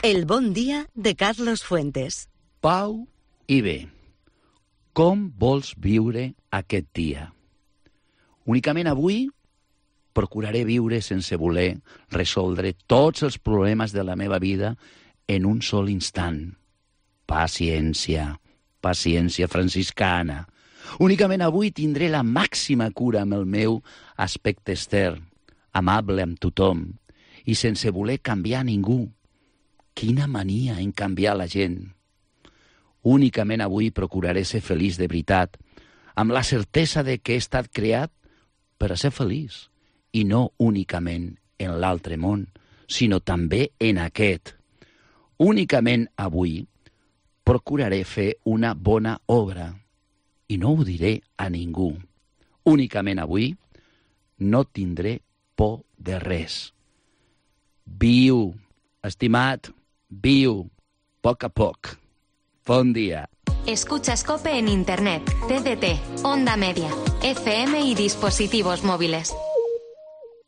El bon dia de Carlos Fuentes. Pau i bé. Com vols viure aquest dia? Únicament avui procuraré viure sense voler resoldre tots els problemes de la meva vida en un sol instant. Paciència, paciència franciscana. Únicament avui tindré la màxima cura amb el meu aspecte extern, amable amb tothom i sense voler canviar ningú. Quina mania en canviar la gent. Únicament avui procuraré ser feliç de veritat, amb la certesa de que he estat creat per a ser feliç, i no únicament en l'altre món, sinó també en aquest. Únicament avui procuraré fer una bona obra, i no ho diré a ningú. Únicament avui no tindré por de res. Viu, estimat, viu, poc a poc. Bon dia. Escucha Scope en Internet, TDT, Onda Media, FM y dispositivos móviles.